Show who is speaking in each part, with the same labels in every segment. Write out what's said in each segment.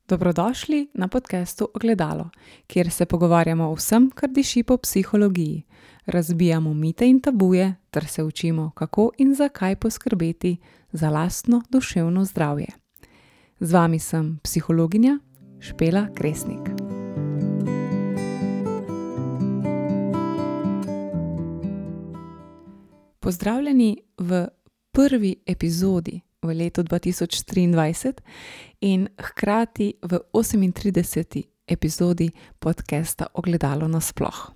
Speaker 1: Dobrodošli na podcastu Ogledalo, kjer se pogovarjamo o vsem, kar diši po psihologiji. Razbijamo mite in tabuje ter se učimo, kako in zakaj poskrbeti za lastno duševno zdravje. Z vami sem psihologinja Špela Kresnik. Pozdravljeni v prvi epizodi v letu 2023 in hkrati v 38. epizodi podcasta Ogledalo nasploh.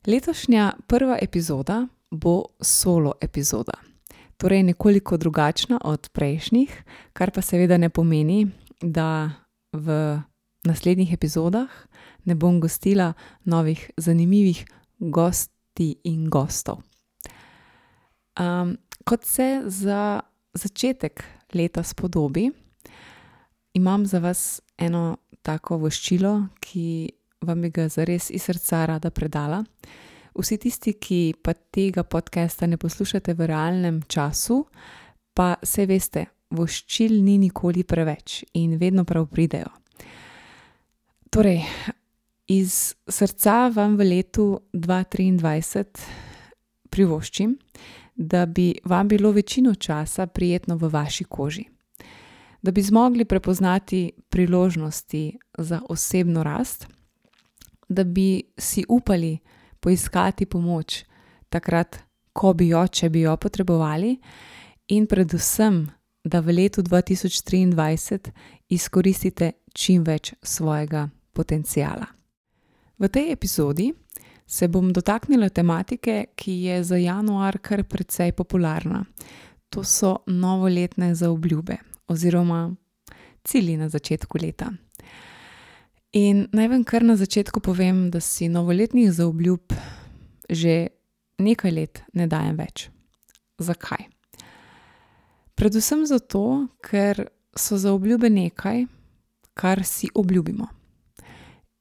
Speaker 1: Letošnja prva epizoda bo solo epizoda, torej nekoliko drugačna od prejšnjih, kar pa seveda ne pomeni, da v naslednjih epizodah ne bom gostila novih zanimivih gosti in gostov. Kot se za začetek leta spodobi, imam za vas eno tako voščilo, ki vam bi ga zares iz srca rada predala. Vsi tisti, ki pa tega podcasta ne poslušate v realnem času, pa se veste, voščil ni nikoli preveč in vedno prav pridejo. Torej, iz srca vam v letu 2023 privoščim, da bi vam bilo večino časa prijetno v vaši koži. Da bi zmogli prepoznati priložnosti za osebno rast, da bi si upali poiskati pomoč takrat, ko bi jo, če bi jo potrebovali, in predvsem, da v letu 2023 izkoristite čim več svojega potenciala. V tej epizodi se bom dotaknila tematike, ki je za januar kar precej popularna. To so novoletne zaobljube oziroma cilji na začetku leta. In naj vam kar na začetku povem, da si novoletnih zaobljub že nekaj let ne dajem več. Zakaj? Predvsem zato, ker so zaobljube nekaj, kar si obljubimo.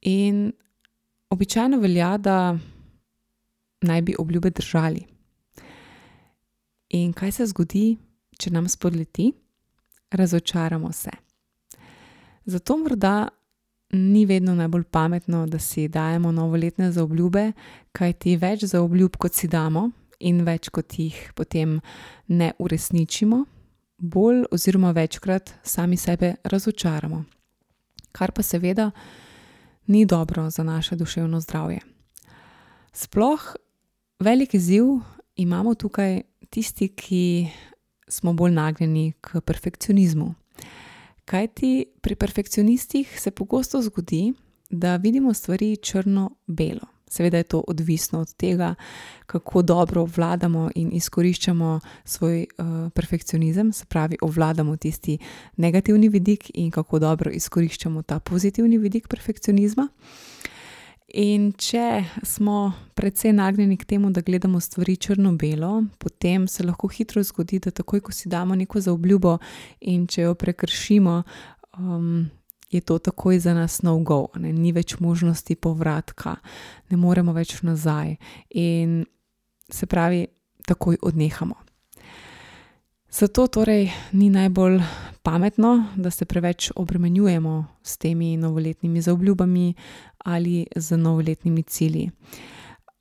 Speaker 1: In običajno velja, da naj bi obljube držali. In kaj se zgodi, če nam spodleti? Razočaramo se. Zato morda ni vedno najbolj pametno, da si dajemo novoletne zaobljube, kajti več zaobljub, kot si damo, in več, kot jih potem ne uresničimo, bolj oziroma večkrat sami sebe razočaramo. Kar pa seveda ni dobro za naše duševno zdravje. Sploh velik izziv imamo tukaj tisti, ki smo bolj nagnjeni k perfekcionizmu. Kajti pri perfekcionistih se pogosto zgodi, da vidimo stvari črno-belo. Seveda je to odvisno od tega, kako dobro obvladamo in izkoriščamo svoj perfekcionizem, se pravi, obvladamo tisti negativni vidik in kako dobro izkoriščamo ta pozitivni vidik perfekcionizma. In če smo precej nagnjeni k temu, da gledamo stvari črno-belo, potem se lahko hitro zgodi, da takoj, ko si damo neko zaobljubo in če jo prekršimo, je to takoj za nas no go, ni več možnosti povratka, ne moremo več nazaj in se pravi, takoj odnehamo. Zato torej ni najbolj pametno, da se preveč obremenjujemo s temi novoletnimi zaobljubami ali z novoletnimi cilji.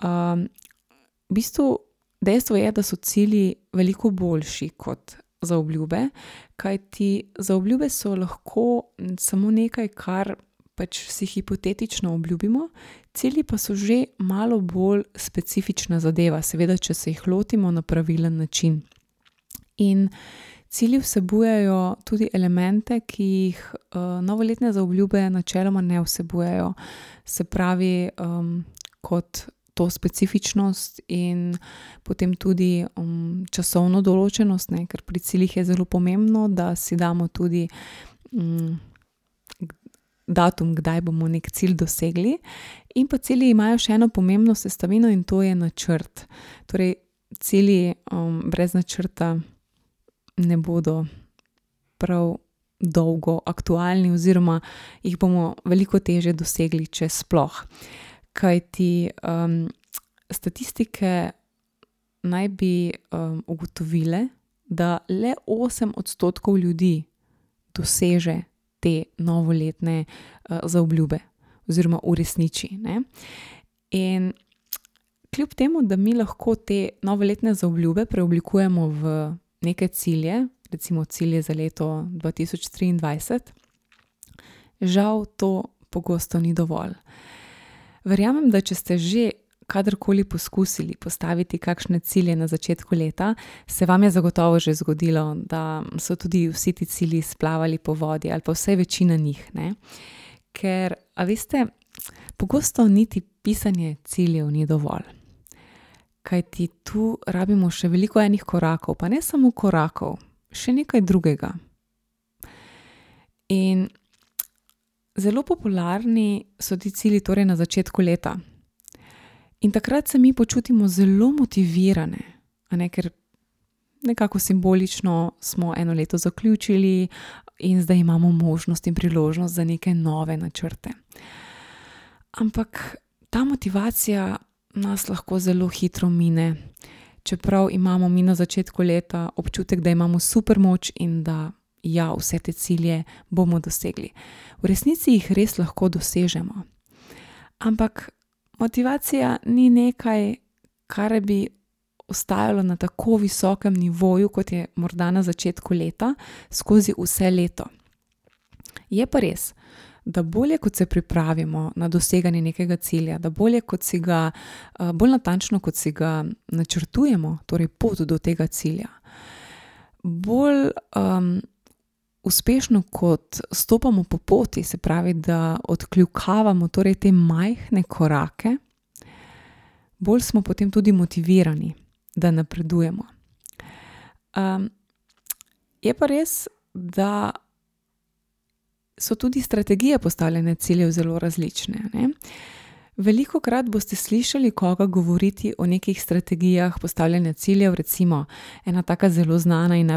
Speaker 1: V bistvu dejstvo je, da so cilji veliko boljši kot zaobljube, kajti zaobljube so lahko samo nekaj, kar pač si hipotetično obljubimo, cilji pa so že malo bolj specifična zadeva, seveda, če se jih lotimo na pravilen način. In cilji vsebujejo tudi elemente, ki jih novoletne zaobljube načeloma ne vsebujejo. Se pravi, kot to specifičnost in potem tudi časovno določenost, ker pri ciljih je zelo pomembno, da si damo tudi datum, kdaj bomo nek cilj dosegli. In pa cilji imajo še eno pomembno sestavino in to je načrt. Torej, cilji brez načrta ne bodo prav dolgo aktualni oziroma jih bomo veliko težje dosegli, če sploh. Kajti statistike naj bi ugotovile, da le 8% ljudi doseže te novoletne zaobljube oziroma uresniči, ne. In kljub temu, da mi lahko te novoletne zaobljube preoblikujemo v neke cilje, recimo cilje za leto 2023, žal to pogosto ni dovolj. Verjamem, da če ste že kadarkoli poskusili postaviti kakšne cilje na začetku leta, se vam je zagotovo že zgodilo, da so tudi vsi ti cilji splavali po vodi ali pa vsaj večina njih, ne. Ker, a veste, pogosto niti pisanje ciljev ni dovolj. Kajti tu rabimo še veliko enih korakov, pa ne samo korakov, še nekaj drugega. In zelo popularni so ti cilji torej na začetku leta. In takrat se mi počutimo zelo motivirane, a ne, ker nekako simbolično smo eno leto zaključili in zdaj imamo možnost in priložnost za neke nove načrte. Ampak ta motivacija nas lahko zelo hitro mine, čeprav imamo mi na začetku leta občutek, da imamo super moč in da ja, vse te cilje bomo dosegli. V resnici jih res lahko dosežemo. Ampak motivacija ni nekaj, kar bi ostajalo na tako visokem nivoju, kot je morda na začetku leta, skozi vse leto. Je pa res, da bolje kot se pripravimo na doseganje nekega cilja, da bolje kot si ga, bolj natančno kot si ga načrtujemo, torej pot do tega cilja, bolj uspešno kot stopamo po poti, se pravi, da odkljukavamo torej te majhne korake, bolj smo potem tudi motivirani, da napredujemo. Je pa res, da so tudi strategije postavljanja ciljev zelo različne, ne. Velikokrat boste slišali koga govoriti o nekih strategijah postavljanja ciljev, recimo ena taka zelo znana in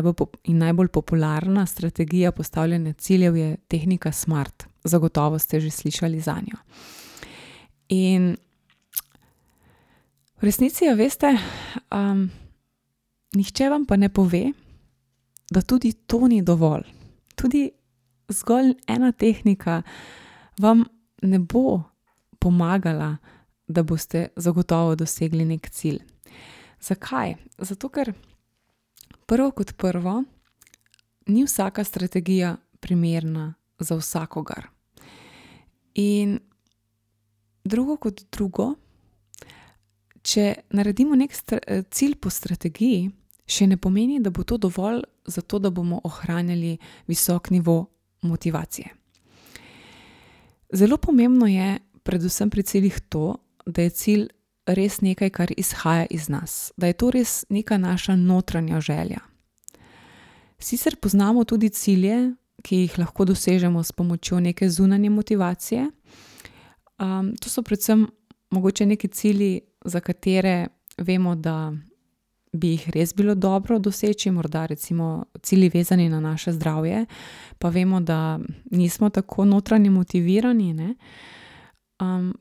Speaker 1: najbolj popularna strategija postavljanja ciljev je tehnika SMART. Zagotovo ste že slišali zanjo. In v resnici, a veste, nihče vam pa ne pove, da tudi to ni dovolj. Tudi zgolj ena tehnika vam ne bo pomagala, da boste zagotovo dosegli nek cilj. Zakaj? Zato, ker prvo kot prvo, ni vsaka strategija primerna za vsakogar. In drugo kot drugo, če naredimo nek cilj po strategiji, še ne pomeni, da bo to dovolj za to, da bomo ohranjali visok nivo motivacije. Zelo pomembno je predvsem pri ciljih to, da je cilj res nekaj, kar izhaja iz nas, da je to res neka naša notranja želja. Sicer poznamo tudi cilje, ki jih lahko dosežemo s pomočjo neke zunanje motivacije. To so predvsem mogoče neki cilji, za katere vemo, da bi jih res bilo dobro doseči, morda recimo cilji vezani na naše zdravje, pa vemo, da nismo tako notranje motivirani, ne?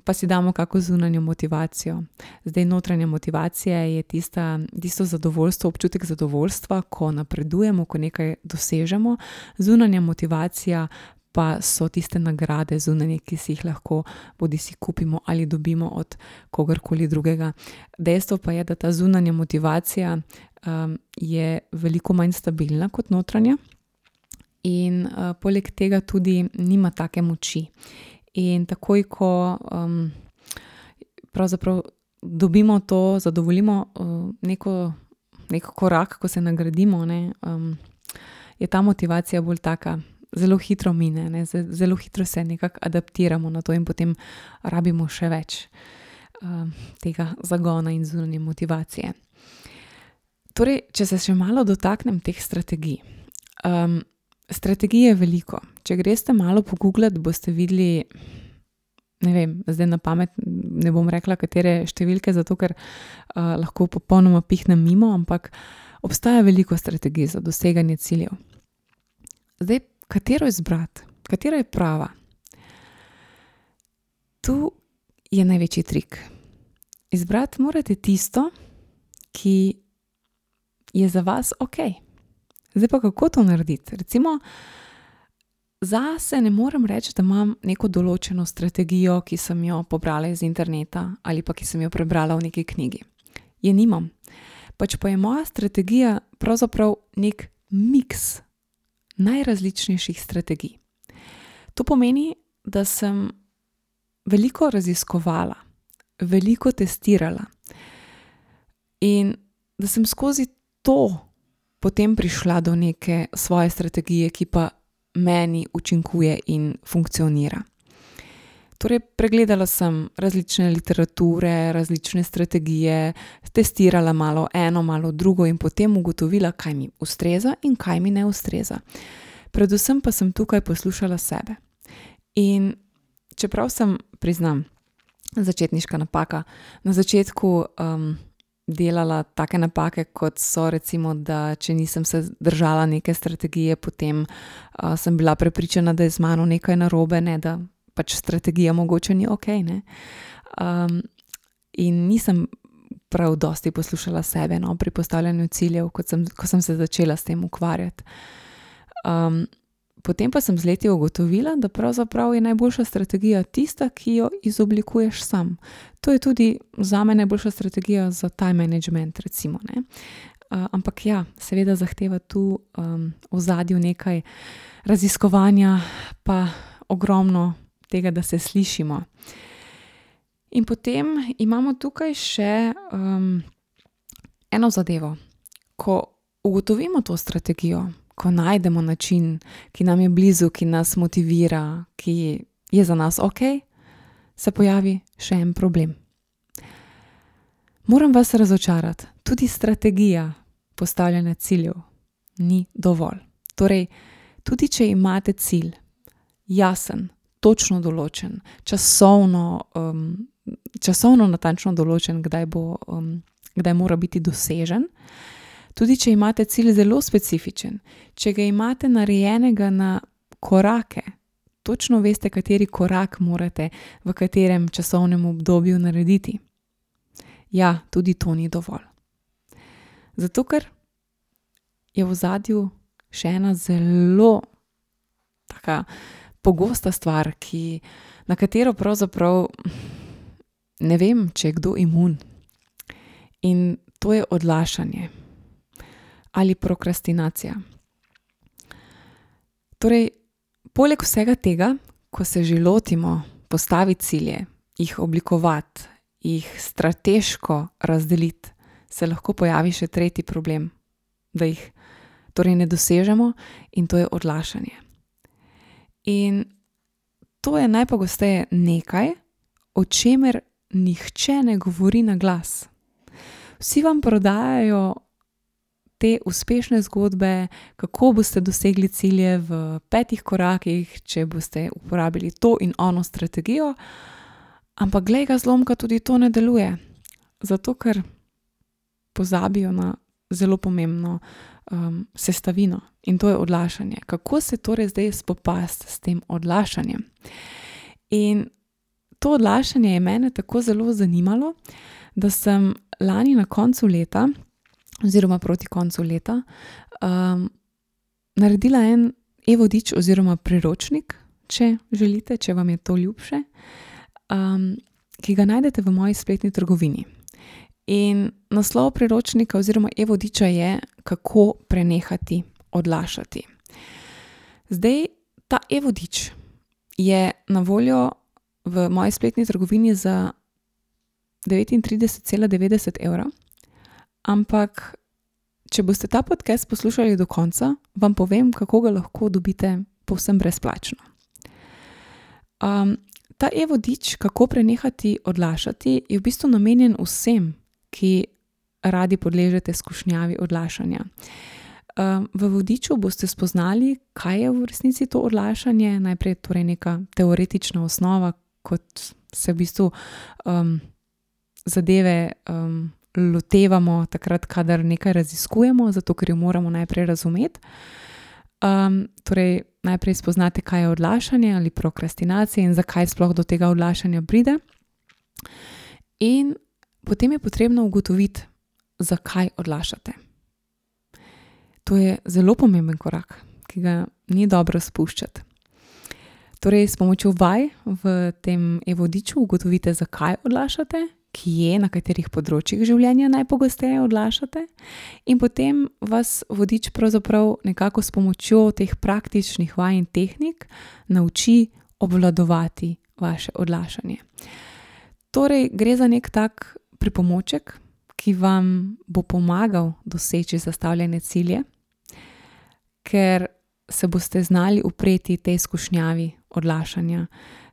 Speaker 1: Pa si damo kako zunanjo motivacijo. Zdaj notranja motivacija je tisto zadovoljstvo, občutek zadovoljstva, ko napredujemo, ko nekaj dosežemo. Zunanja motivacija pa so tiste nagrade zunanje, ki si jih lahko bodisi kupimo ali dobimo od kogarkoli drugega. Dejstvo pa je, da ta zunanja motivacija je veliko manj stabilna kot notranja in poleg tega tudi nima take moči. In takoj, ko pravzaprav dobimo to, zadovoljimo nek korak, ko se nagradimo, ne, je ta motivacija bolj taka, zelo hitro mine, ne, zelo hitro se nekako adaptiramo na to in potem rabimo še več tega zagona in zunanje motivacije. Torej, če se še malo dotaknem teh strategij. Strategij je veliko. Če greste malo poguglat, boste videli, ne vem, zdaj na pamet ne bom rekla, katere številke, zato ker lahko popolnoma pihnem mimo, ampak obstaja veliko strategij za doseganje ciljev. Zdaj, katero izbrati? Katera je prava? Tu je največji trik. Izbrati morate tisto, ki je za vas okej. Zdaj pa kako to narediti? Recimo, zase ne morem reči, da imam neko določeno strategijo, ki sem jo pobrala iz interneta ali pa ki sem jo prebrala v neki knjigi. Je nimam. Pač pa je moja strategija pravzaprav nek miks najrazličnejših strategij. To pomeni, da sem veliko raziskovala, veliko testirala in da sem skozi to potem prišla do neke svoje strategije, ki pa meni učinkuje in funkcionira. Torej, pregledala sem različne literature, različne strategije, testirala malo eno, malo drugo in potem ugotovila, kaj mi ustreza in kaj mi ne ustreza. Predvsem pa sem tukaj poslušala sebe. In čeprav sem, priznam, začetniška napaka, na začetku delala take napake, kot so recimo, da če nisem se držala neke strategije, potem sem bila prepričana, da je z mano nekaj narobe, ne, da pač strategija mogoče ni okej, ne. In nisem prav dosti poslušala sebe, no, pri postavljanju ciljev, ko sem se začela s tem ukvarjati. Potem pa sem z leti ugotovila, da pravzaprav je najboljša strategija tista, ki jo izoblikuješ sam. To je tudi zame najboljša strategija za time management, recimo, ne. Ampak ja, seveda zahteva tu v ozadju nekaj raziskovanja, pa ogromno tega, da se slišimo. In potem imamo tukaj še eno zadevo. Ko ugotovimo to strategijo, ko najdemo način, ki nam je blizu, ki nas motivira, ki je za nas okej, se pojavi še en problem. Moram vas razočarati, tudi strategija postavljanja ciljev ni dovolj. Torej, tudi če imate cilj jasen, točno določen, časovno natančno določen, kdaj mora biti dosežen, tudi če imate cilj zelo specifičen, če ga imate narejenega na korake, točno veste, kateri korak morate v katerem časovnem obdobju narediti. Ja, tudi to ni dovolj. Zato, ker je v ozadju še ena zelo taka pogosta stvar, na katero pravzaprav ne vem, če je kdo imun. In to je odlašanje ali prokrastinacija. Torej, poleg vsega tega, ko se že lotimo postaviti cilje, jih oblikovati, jih strateško razdeliti, se lahko pojavi še tretji problem, da jih torej ne dosežemo, in to je odlašanje. In to je najpogosteje nekaj, o čemer nihče ne govori na glas. Vsi vam prodajajo te uspešne zgodbe, kako boste dosegli cilje v 5 korakih, če boste uporabili to in ono strategijo, ampak glej ga zlomka, tudi to ne deluje. Zato, ker pozabijo na zelo pomembno sestavino, in to je odlašanje. Kako se torej zdaj spopasti s tem odlašanjem? In to odlašanje je mene tako zelo zanimalo, da sem lani na koncu leta, oziroma proti koncu leta, naredila en e-vodič oziroma priročnik, če želite, če vam je to ljubše, ki ga najdete v moji spletni trgovini. In naslov priročnika oziroma e-vodiča je, kako prenehati odlašati. Zdaj, ta e-vodič je na voljo v moji spletni trgovini za 39,90 evra, ampak če boste ta podcast poslušali do konca, vam povem, kako ga lahko dobite povsem brezplačno. Ta e-vodič, kako prenehati odlašati, je v bistvu namenjen vsem, ki radi podležete skušnjavi odlašanja. V vodiču boste spoznali, kaj je v resnici to odlašanje, najprej torej neka teoretična osnova, kot se v bistvu zadeve lotevamo takrat, kadar nekaj raziskujemo, zato ker jo moramo najprej razumeti. Torej, najprej spoznate, kaj je odlašanje ali prokrastinacija in zakaj sploh do tega odlašanja pride. In potem je potrebno ugotoviti, zakaj odlašate. To je zelo pomemben korak, ki ga ni dobro spuščati. Torej, s pomočjo vaj v tem e-vodiču ugotovite, zakaj odlašate, kje, na katerih področjih življenja najpogosteje odlašate, in potem vas vodič pravzaprav nekako s pomočjo teh praktičnih vaj in tehnik nauči obvladovati vaše odlašanje. Torej, gre za nek tak pripomoček, ki vam bo pomagal doseči zastavljene cilje, ker se boste znali upreti tej skušnjavi odlašanja,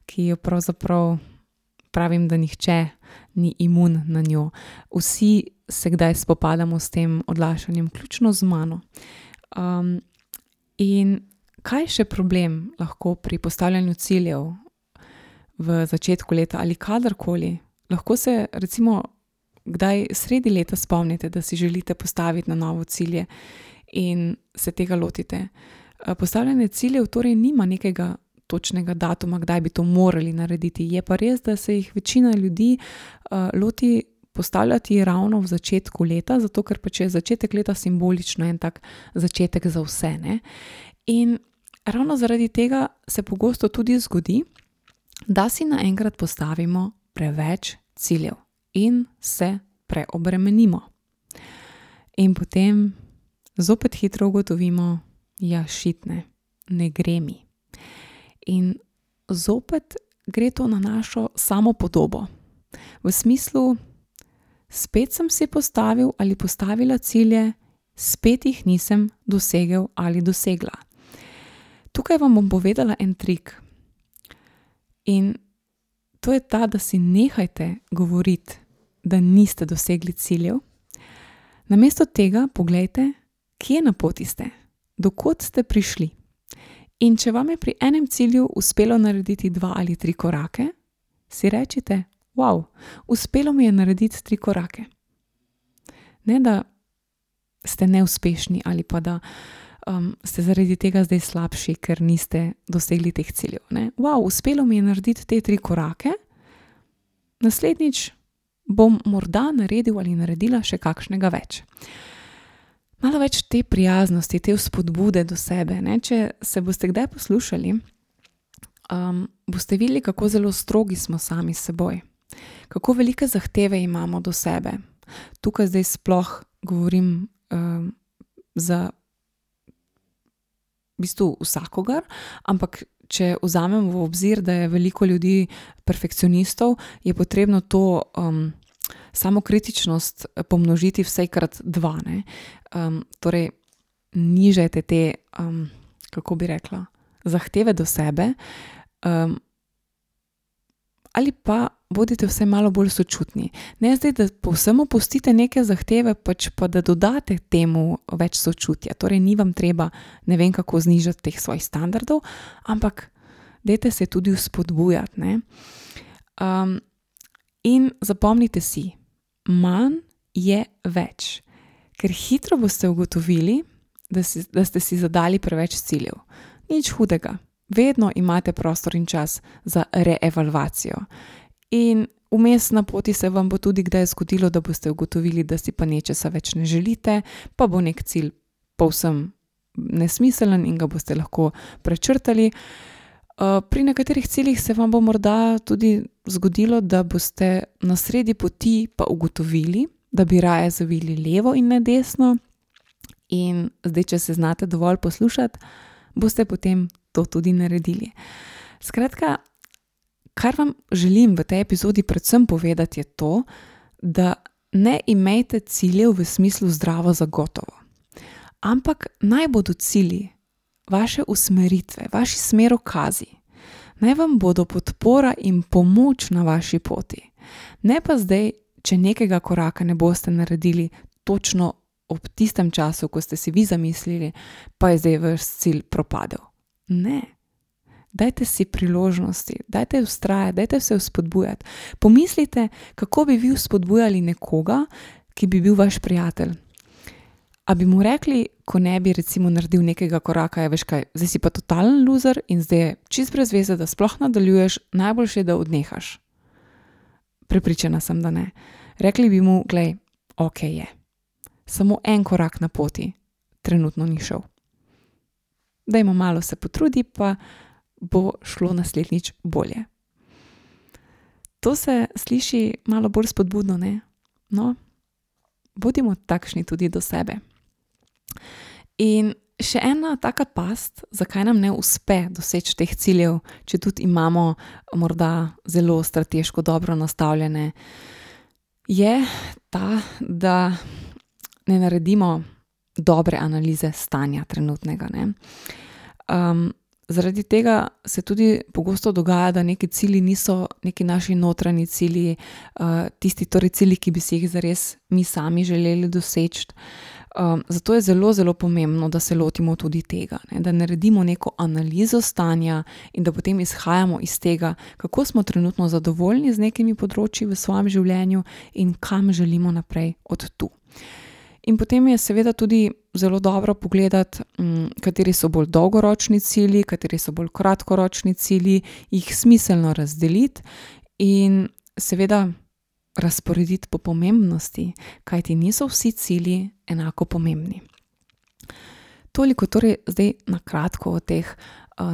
Speaker 1: ki jo pravzaprav pravim, da nihče ni imun na njo. Vsi se kdaj spopadamo s tem odlašanjem, vključno z mano. In kaj še problem lahko pri postavljanju ciljev v začetku leta ali kadarkoli? Lahko se recimo kdaj sredi leta spomnite, da si želite postaviti na novo cilje in se tega lotite. Postavljanje ciljev torej nima nekega točnega datuma, kdaj bi to morali narediti. Je pa res, da se jih večina ljudi loti postavljati ravno v začetku leta, zato ker pač je začetek leta simbolično en tak začetek za vse, ne? In ravno zaradi tega se pogosto tudi zgodi, da si naenkrat postavimo preveč ciljev in se preobremenimo. In potem zopet hitro ugotovimo, ja, šitne, ne gre mi. In zopet gre to na našo samopodobo. V smislu, spet sem si postavil ali postavila cilje, spet jih nisem dosegel ali dosegla. Tukaj vam bom povedala en trik. In to je ta, da si nehajte govoriti, da niste dosegli ciljev. Namesto tega poglejte, kje na poti ste, do kod ste prišli. In če vam je pri enem cilju uspelo narediti 2 ali 3 korake, si rečite, wow, uspelo mi je narediti 3 korake. Ne, da ste neuspešni ali pa da ste zaradi tega zdaj slabši, ker niste dosegli teh ciljev. Ne? Wow, uspelo mi je narediti te 3 korake, naslednjič bom morda naredil ali naredila še kakšnega več. Malo več te prijaznosti, te vzpodbude do sebe. Ne? Če se boste kdaj poslušali, boste videli, kako zelo strogi smo sami s seboj. Kako velike zahteve imamo do sebe. Tukaj zdaj sploh govorim za v bistvu vsakogar, ampak če vzamem v obzir, da je veliko ljudi perfekcionistov, je potrebno to samokritičnost pomnožiti vsajkrat 2, ne. Torej, nižajte te, kako bi rekla, zahteve do sebe, ali pa bodite vsaj malo bolj sočutni. Ne zdaj, da povsem opustite neke zahteve, pač pa da dodate temu več sočutja. Torej, ni vam treba ne vem kako znižati teh svojih standardov, ampak dajte se tudi vzpodbujati, ne. In zapomnite si, manj je več. Ker hitro boste ugotovili, da ste si zadali preveč ciljev. Nič hudega. Vedno imate prostor in čas za reevalvacijo. In vmes na poti se vam bo tudi kdaj zgodilo, da boste ugotovili, da si pa nečesa več ne želite, pa bo nek cilj povsem nesmiseln in ga boste lahko prečrtali. Pri nekaterih ciljih se vam bo morda tudi zgodilo, da boste na sredi poti pa ugotovili, da bi raje zavili levo in ne desno. In zdaj, če se znate dovolj poslušati, boste potem to tudi naredili. Skratka, kar vam želim v tej epizodi predvsem povedati je to, da ne imejte ciljev v smislu zdravo zagotovo. Ampak naj bodo cilji vaše usmeritve, vaši smerokazi. Naj vam bodo podpora in pomoč na vaši poti. Ne pa zdaj, če nekega koraka ne boste naredili točno ob tistem času, ko ste si vi zamislili, pa je zdaj vaš cilj propadel. Ne. Dajte si priložnosti, dajte vztrajati, dajte se vzpodbujati. Pomislite, kako bi vi vzpodbujali nekoga, ki bi bil vaš prijatelj. A bi mu rekli, ko ne bi recimo naredil nekega koraka, veš kaj, zdaj si pa totalen loser in zdaj je čist brez veze, da sploh nadaljuješ, najboljše, da odnehaš. Prepričana sem, da ne. Rekli bi mu, glej, okej je. Samo en korak na poti trenutno ni šel. Dajmo malo se potrudi, pa bo šlo naslednjič bolje. To se sliši malo bolj spodbudno, ne? No, bodimo takšni tudi do sebe. In še ena taka past, zakaj nam ne uspe doseči teh ciljev, če tudi imamo morda zelo strateško dobro nastavljene, je ta, da ne naredimo dobre analize stanja trenutnega, ne. Zaradi tega se tudi pogosto dogaja, da neki cilji niso neki naši notranji cilji, tisti torej cilji, ki bi si jih zares mi sami želeli doseči. Zato je zelo, zelo pomembno, da se lotimo tudi tega, ne, da naredimo neko analizo stanja in da potem izhajamo iz tega, kako smo trenutno zadovoljni z nekimi področji v svojem življenju in kam želimo naprej od tu. In potem je seveda tudi zelo dobro pogledati, kateri so bolj dolgoročni cilji, kateri so bolj kratkoročni cilji, jih smiselno razdeliti in seveda razporediti po pomembnosti, kajti niso vsi cilji enako pomembni. Toliko torej zdaj na kratko o teh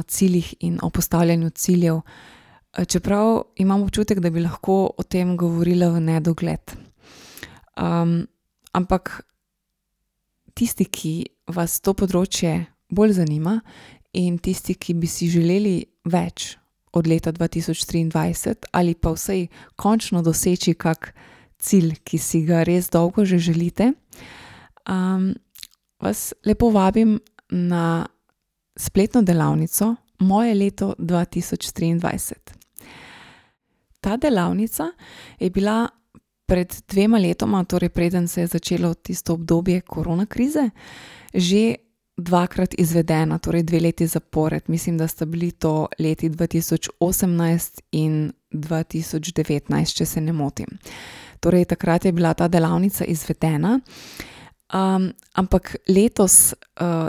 Speaker 1: ciljih in o postavljanju ciljev, čeprav imam občutek, da bi lahko o tem govorila v nedogled. Ampak tisti, ki vas to področje bolj zanima in tisti, ki bi si želeli več od leta 2023 ali pa vsaj končno doseči kak cilj, ki si ga res dolgo že želite, vas lepo vabim na spletno delavnico Moje leto 2023. Ta delavnica je bila pred 2 letoma, torej preden se je začelo tisto obdobje korona krize, že 2-krat izvedena, torej 2 leti zapored. Mislim, da sta bili to leti 2018 in 2019, če se ne motim. Torej takrat je bila ta delavnica izvedena, ampak letos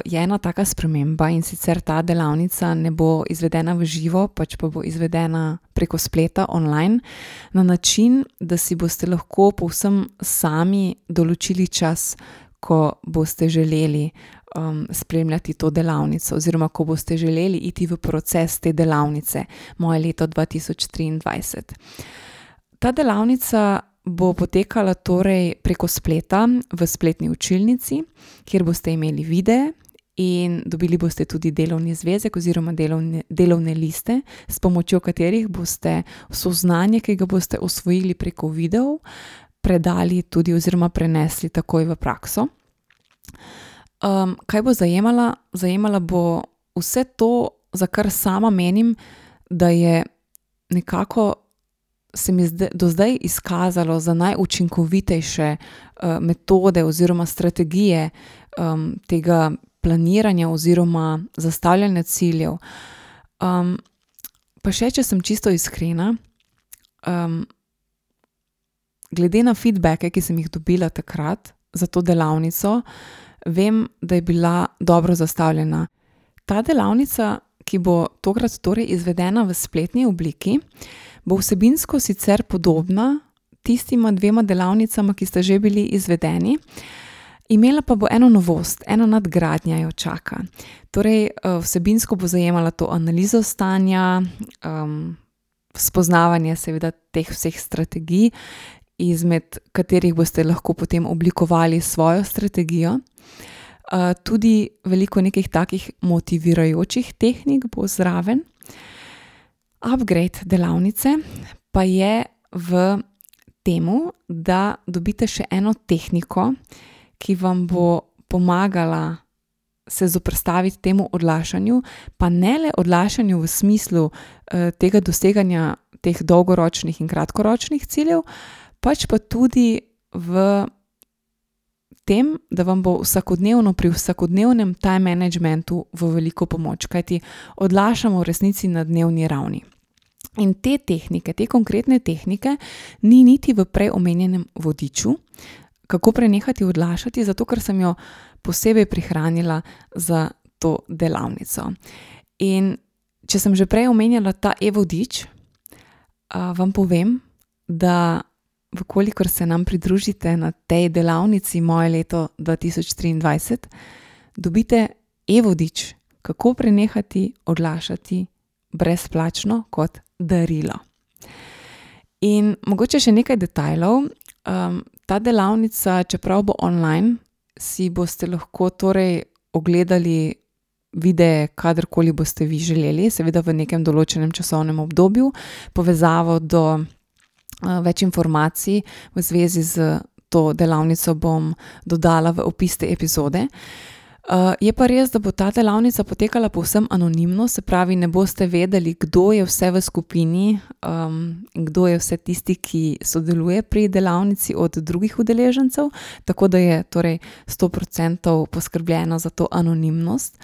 Speaker 1: je ena taka sprememba in sicer ta delavnica ne bo izvedena v živo, pač pa bo izvedena preko spleta online na način, da si boste lahko povsem sami določili čas, ko boste želeli spremljati to delavnico oziroma ko boste želeli iti v proces te delavnice Moje leto 2023. Ta delavnica bo potekala torej preko spleta v spletni učilnici, kjer boste imeli videe in dobili boste tudi delovni zvezek oziroma delovne liste, s pomočjo katerih boste vso znanje, ki ga boste osvojili preko videov, predali tudi oziroma prenesli takoj v prakso. Kaj bo zajemala? Zajemala bo vse to, za kar sama menim, da je nekako se mi do zdaj izkazalo za najučinkovitejše metode oziroma strategije tega planiranja oziroma zastavljanja ciljev. Pa še, če sem čisto iskrena, glede na feedbacke, ki sem jih dobila takrat za to delavnico, vem, da je bila dobro zastavljena. Ta delavnica, ki bo tokrat torej izvedena v spletni obliki, bo vsebinsko sicer podobna tistima 2 delavnicama, ki sta že bili izvedeni, imela pa bo eno novost, ena nadgradnja jo čaka. Torej, vsebinsko bo zajemala to analizo stanja, spoznavanje seveda teh vseh strategij, izmed katerih boste lahko potem oblikovali svojo strategijo. Tudi veliko nekih takih motivirajočih tehnik bo zraven. Upgrade delavnice pa je v temu, da dobite še eno tehniko, ki vam bo pomagala se zoperstaviti temu odlašanju, pa ne le odlašanju v smislu tega doseganja teh dolgoročnih in kratkoročnih ciljev, pač pa tudi v tem, da vam bo vsakodnevno pri vsakodnevnem time managementu v veliko pomoč, kajti odlašamo v resnici na dnevni ravni. In te tehnike, te konkretne tehnike ni niti v prej omenjenem vodiču, kako prenehati odlašati, zato ker sem jo posebej prihranila za to delavnico. In če sem že prej omenjala ta e-vodič, vam povem, da vkolikor se nam pridružite na tej delavnici Moje leto 2023, dobite e-vodič, kako prenehati odlašati brezplačno kot darilo. In mogoče še nekaj detajlov. Ta delavnica, čeprav bo online, si boste lahko torej ogledali videe, kadarkoli boste vi želeli, seveda v nekem določenem časovnem obdobju. Povezavo do več informacij v zvezi z to delavnico bom dodala v opis te epizode. Je pa res, da bo ta delavnica potekala povsem anonimno, se pravi, ne boste vedeli, kdo je vse v skupini, in kdo je vse tisti, ki sodeluje pri delavnici od drugih udeležencev, tako da je torej 100% poskrbljeno za to anonimnost.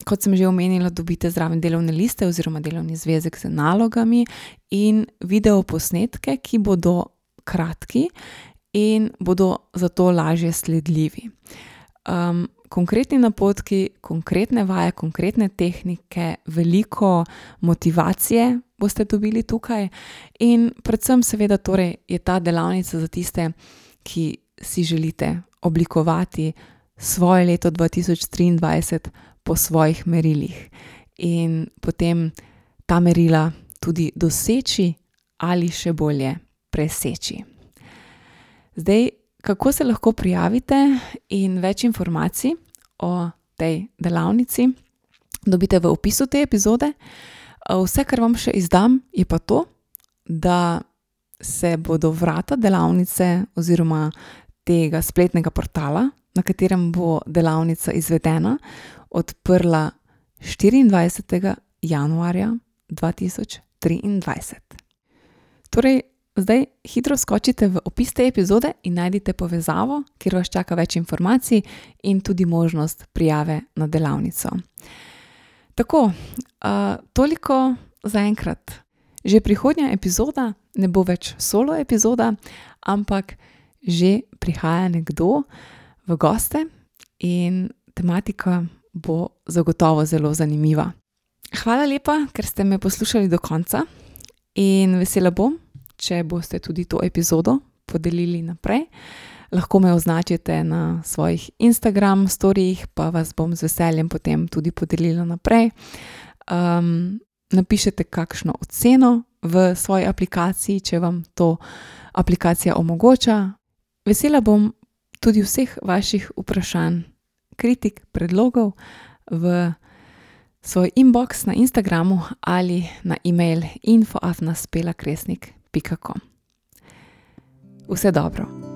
Speaker 1: Kot sem že omenila, dobite zraven delovne liste oziroma delovni zvezek z nalogami in videoposnetke, ki bodo kratki in bodo zato lažje sledljivi. Konkretni napotki, konkretne vaje, konkretne tehnike, veliko motivacije boste dobili tukaj in predvsem seveda torej je ta delavnica za tiste, ki si želite oblikovati svoje leto 2023 po svojih merilih in potem ta merila tudi doseči ali še bolje preseči. Zdaj, kako se lahko prijavite in več informacij o tej delavnici dobite v opisu te epizode. Vse, kar vam še izdam, je pa to, da se bodo vrata delavnice oziroma tega spletnega portala, na katerem bo delavnica izvedena, odprla 24. januarja 2023. Torej, zdaj hitro skočite v opis te epizode in najdite povezavo, kjer vas čaka več informacij in tudi možnost prijave na delavnico. Tako, toliko zaenkrat. Že prihodnja epizoda ne bo več solo epizoda, ampak že prihaja nekdo v goste in tematika bo zagotovo zelo zanimiva. Hvala lepa, ker ste me poslušali do konca in vesela bom, če boste tudi to epizodo podelili naprej. Lahko me označite na svojih Instagram storijih, pa vas bom z veseljem potem tudi podelila naprej. Napišete kakšno oceno v svoji aplikaciji, če vam to aplikacija omogoča. Vesela bom tudi vseh vaših vprašanj, kritik, predlogov v svoj inbox na Instagramu ali na e-mail info@spelakresnik.com. Vse dobro.